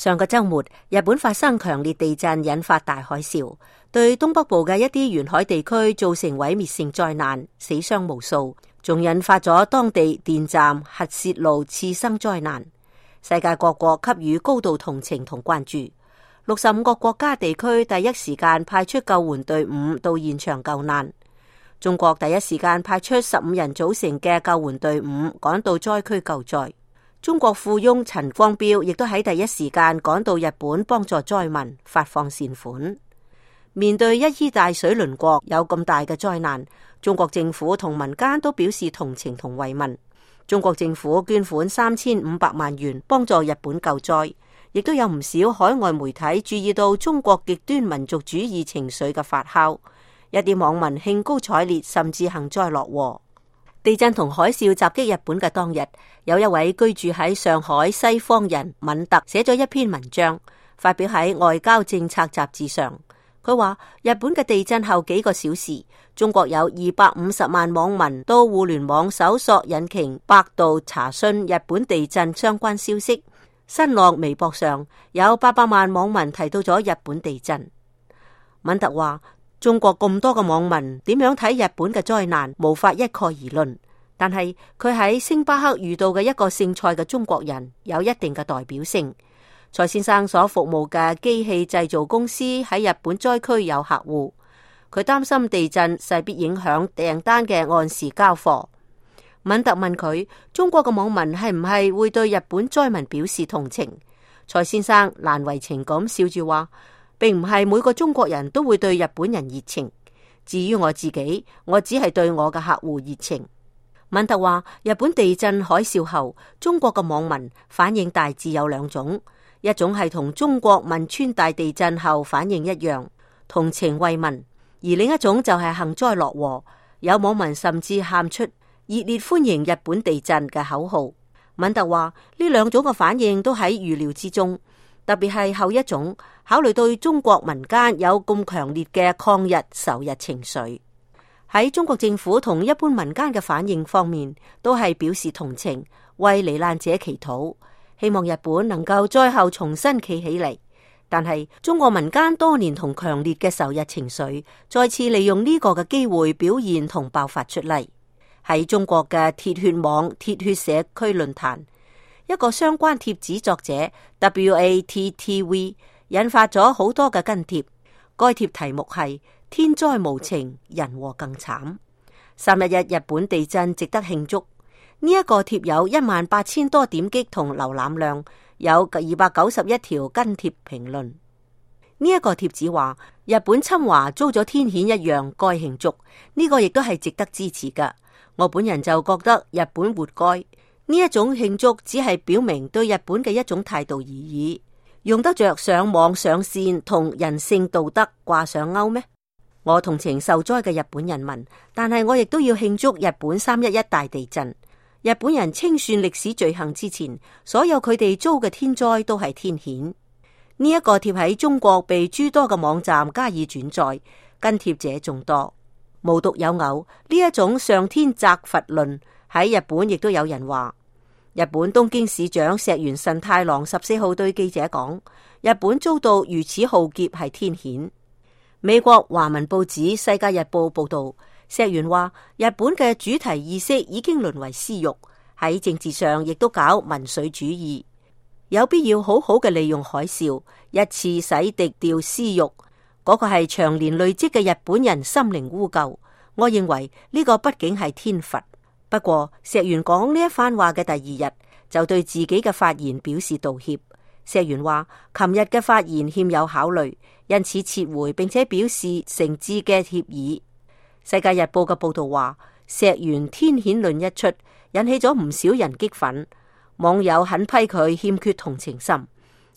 上個週末，日本發生強烈地震，引發大海嘯，對東北部嘅一啲沿海地區造成毀滅性災難，死傷無數，仲引發咗當地電站、核泄漏次生災難。世界各國給予高度同情同關注。65個國家地區第一時間派出救援隊伍到現場救難。中國第一時間派出15人組成嘅救援隊伍趕到災區救災。中國富翁陳光標亦都喺第一時間趕到日本幫助災民，發放善款。面對一衣帶水鄰國有咁大嘅災難，中國政府同民間都表示同情同慰問。中國政府捐款3500萬元幫助日本救災，亦都有唔少海外媒體注意到中國極端民族主義情緒嘅發酵，一啲網民興高采烈，甚至幸災樂禍。地震同海嘯襲擊日本嘅當日，有一位居住喺上海西方人敏特寫咗一篇文章，發表喺《外交政策》雜誌上。佢話日本嘅地震後幾個小時，中國有250萬網民到互聯網搜索引擎百度查詢日本地震相關消息。新浪微博上有800萬網民提到咗日本地震。敏特話，中國咁多個網民點樣睇日本嘅災難，無法一概而論。但係佢喺星巴克遇到嘅一個姓蔡嘅中國人有一定嘅代表性。蔡先生所服務嘅機器製造公司喺日本災區有客戶，佢擔心地震勢必影響訂單嘅按時交貨。敏特問佢，中國嘅網民係唔係會對日本災民表示同情？蔡先生難為情咁笑住話，並唔係每個中國人都會對日本人熱情。至於我自己，我只係對我嘅客戶熱情。敏特話，日本地震海嘯後，中國嘅網民反應大致有兩種，一種係同中國汶川大地震後反應一樣，同情慰問；而另一種就係幸災樂禍，有網民甚至喊出熱烈歡迎日本地震嘅口號。敏特話，呢兩種嘅反應都喺預料之中，特別係後一種，考慮到中國民間有咁強烈嘅抗日仇日情緒，喺中國政府同一般民間嘅反應方面，都係表示同情，為罹難者祈禱，希望日本能夠災後重新企起嚟。但係中國民間多年同強烈嘅仇日情緒，再次利用呢個嘅機會表現同爆發出嚟。喺中國嘅鐵血網鐵血社區論壇，一個相關貼紙作者 WATTV 引發咗好多嘅跟帖。該貼題目係天災無情，人禍更慘。31日日本地震值得慶祝。呢一個貼有18000多點擊同瀏覽量，有291條跟帖評論。呢一個貼子話，日本侵華遭咗天譴一樣，該慶祝。呢個亦都係值得支持㗎。我本人就覺得日本活該。呢一種慶祝只係表明對日本嘅一種態度而已，用得着上網上線同人性道德掛上鈎咩？我同情受災嘅日本人民，但係我亦都要慶祝日本311大地震。日本人清算歷史罪行之前，所有佢哋遭嘅天災都係天譴。呢一個貼喺中國被諸多嘅網站加以轉載，跟帖者眾多。無獨有偶，呢一種上天責罰論喺日本亦都有人話。日本東京市長石原慎太郎14號對記者講，日本遭到如此浩劫係天譴。美國華文報紙《世界日報》報道，石原話日本嘅主題意識已經淪為私欲，喺政治上亦都搞民粹主義，有必要好好嘅利用海嘯，一次洗滌掉私欲。嗰個係長年累積嘅日本人心靈污垢。我認為呢個畢竟係天罰。不過石原講呢一番話嘅第二日，就對自己嘅發言表示道歉。石原話琴日嘅發言欠有考慮，因此撤回，並且表示誠摯嘅歉意。世界日報嘅報道話，石原天譴論一出，引起咗唔少人激憤，網友狠批佢欠缺同情心，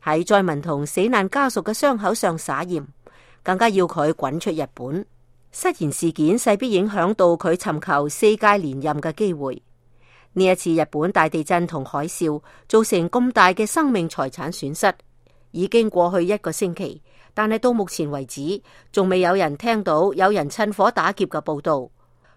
喺災民同死難家屬嘅傷口上撒鹽，更加要佢滾出日本。失言事件勢必影響到佢尋求4屆連任嘅機會。呢一次日本大地震同海嘯造成咁大嘅生命財產損失，已經過去1個星期，但係到目前為止，仲未有人聽到有人趁火打劫嘅報道。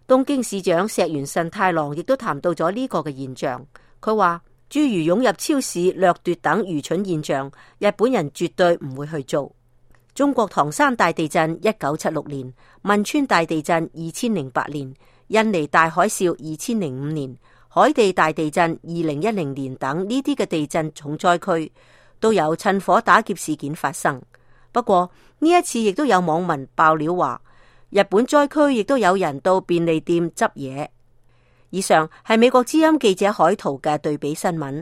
東京市長石原慎太郎亦都談到咗呢個嘅現象，佢話諸如湧入超市掠奪等愚蠢現象，日本人絕對唔會去做。中國唐山大地震1976年，汶川大地震2008年，印尼大海嘯2005年，海地大地震2010年等呢啲嘅地震重災區都有趁火打劫事件發生。不過呢一次亦都有網民爆料話，日本災區亦都有人到便利店執嘢。以上係美國之音記者海濤嘅對比新聞。